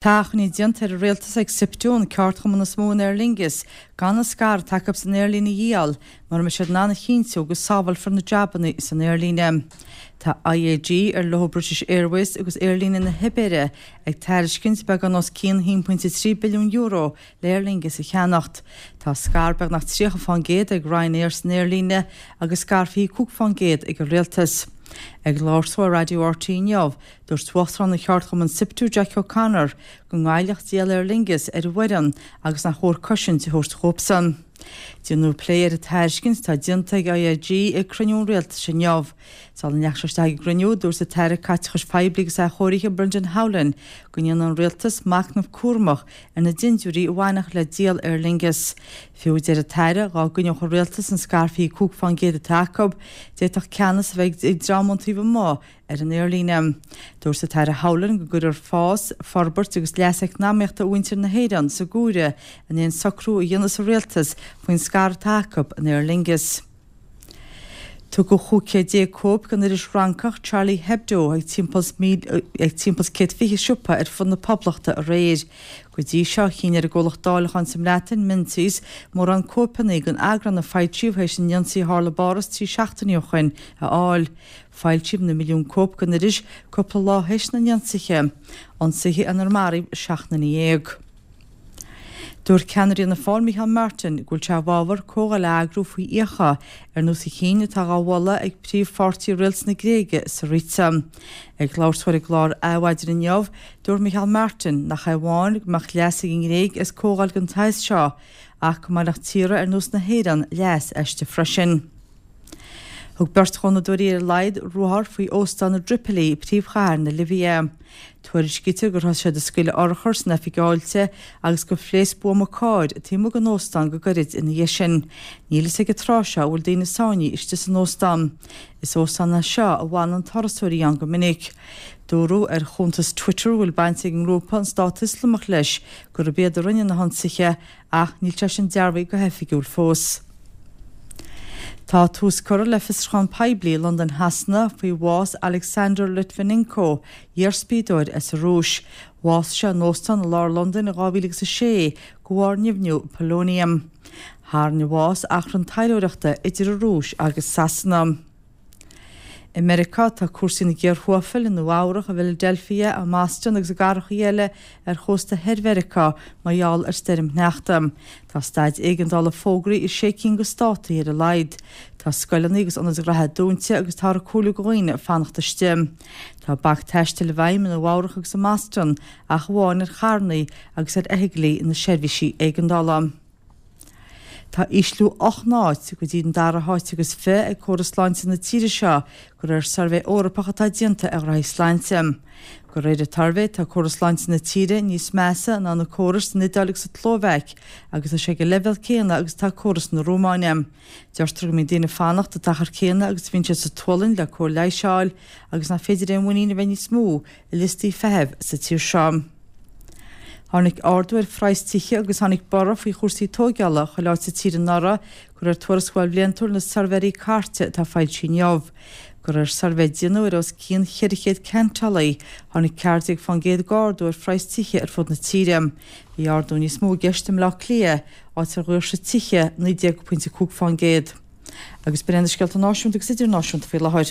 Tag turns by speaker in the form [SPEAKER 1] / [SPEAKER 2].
[SPEAKER 1] Tá achainí déanta ar an Rialtas ag Siptu, an ceardchumann is mó in Aer Lingus, gan an scair atá acu san aerlíne a dhíol mura mbeidh siad in ann a chinntiú go sábhálfar na jabanna san aerlíne. Tá IAG, ar leo British Airways agus Aerlíne na hIbéire, ag tairiscint beagán os cionn €1.3 billiún le Aer Lingus a cheannacht. Tá scair beagnach 30% ag Ryanair san aerlíne agus scair 25% ag an Rialtas. Ag labhairt dó ar Raidió RTÉ inniu, Dúirt Uachtarán an cheardchumainn Siptu, Jack O'Connor, go ngoillfeadh díol Aer Lingus ar an bhfoireann agus nach chóir cosaint a thabhairt dhóibhsan. Déanadh plé ar an tairiscint atá déanta ag IAG ag cruinniú an Rialtais inniu. Sula ndeachaigh sé isteach ag an gcruinniú, dúirt an tAire Caiteachais Phoiblí agus Athchóirithe Brendan Howlin go ndéanfaidh an Rialtas machnamh cúramach ar na dindiúirí a bhainfeadh le díol Aer Lingus. Fiú, a deir an tAire, dhá gcoinneodh an Rialtas an scair 25% atá acu, d'fhéadfadh ceannas a bheith ag dream ón taobh amuigh ar an aerlíne. Dúirt an tAire Howlin go gcuirfear fás, forbairt agus leas eacnamaíochta mhuintir na hÉireann sa gcomhaireamh in aon socrú a dhéanfas an Rialtas faoin scair atá acu in Aer Lingus. Tugadh 15 chéad cóip den iris Fhrancach Charlie Hebdo ag timpeall 120 siopa ar fud na Poblachta aréir. Go dtí seo, chinn ar an gcomhlacht dáileacháin sa mBreatain, Menzies, mórán cóipeanna den eagrán a foilsíodh théis an ionsaí a tharla i bPáras 3 seachtainí ó shoin a fháil. Foilsíodh na milliúin cóip den iris cúpla lá théis na n-ionsaithe, ionsaithe inar maraíodh 17 nduine. Dúirt ceannaire Fhianna Fáil Micheál Martin go bhfuil sé i bhfabhar comhdháil a eagrú faoi fhiacha ar nós an chinn atá dhá mholadh ag príomhpháirtí rialtas na Gréige, Syriza. Ag labhairt dó ar an gclár Adhmhaidin inniu, dúirt Micheál Martin nach é amháin go mbeadh leas ag an nGréig as comhdháil den tsaghas seo ach go mbainfeadh tíortha ar nós na hÉireann leas aisti freisin. Thug beirt ghunnadóirí ar a laghad ruathar faoi óstán i dTripilí, príomhchathair na Libia. Tuairiscítear gur thosaigh siad ag scaoileadh urchar san oifig fháilte agus gur phléasc buama cairr taobh amuigh den óstán go gairid ina dhiaidh sin. Níl fhios ag an tráth seo an bhfuil daoine sáinnithe istigh san óstán. Is óstán é seo a bhfanann turasóirí ann go minic. Dúradh ar chuntas Twitter a bhfuil baint ag an ngrúpa an Stát Ioslamach leis gurb iad a rinne na hionsaithe ach níl sé sin dearbhaithe go hoifigiúil fós. Tá tús curtha le fiosrúchán poiblí i Londain Shasana faoi bhás Alexander Litvinenko, iar-spiadóir as an Rúis. Bhásaigh sé in óstán i lár Londain in 2006 de bharr nimhniú polonium. Tharraing a bhás achrann taidhleoireachta idir an Rúis agus Sasana. I Meiriceá, tá cúrsaí ina gcíor thuathail i Nua Eabhrach, i bhFiladelfia, i mBoston agus i gcathracha eile ar chósta thoir Mheiriceá mar gheall ar stoirm shneachta. Tá staid éigeandála fógraithe i sé cinn de státaí ar a laghad. Tá scoileanna agus ionaid ghraithe dúnta agus táthar ag comhairliú do dhaoine fanacht istigh. Tá bac taistil i bhfeidhm i Nua Eabhrach agus i mBoston ach amháin ar charranna agus ar fheithiclí na seirbhísí éigeandála. Tá ísliú 8 n-áit go dtí an dara háit agus 20 ag córas sláinte na tíre seo de réir suirbhé Eorpach atá déanta ar ghraithí sláinte. De réir an tsuirbhé tá córas sláinte na tíre níos measa ná na córais san Iodáil agus sa tSlóvaic agus tá sé ag an leibhéal céanna agus atá córas na Rómáine. Deirtear go mbíonn daoine ag fanacht an t-achar céanna agus a bhíonn siad sa tSualainn le cóir leighis a fháil agus nach féidir aon mhuinín a bheith níos mó i liostaí feithimh sa tír seo. Tháinig ardú ar phraghas tithe agus tháinig borradh faoi chúrsaí tóigeála chuile áit sa tír anuraidh, de réir tuarascáil bhliantúil na Suirbhéirí Cairte atá foilsithe inniu. De réir suirbhé a déanadh ar os cionn 400 ceantálaí, tháinig 14% d'ardú ar phraghas tithe ar fud na tíre. Bhí ardú níos mó i gceist i mBleá Cliath, áit ar dhaoirsigh tithe 19.5%. Agus b'in iad na scéalta náisiúnta agus idirnáisiúnta faoi láthair.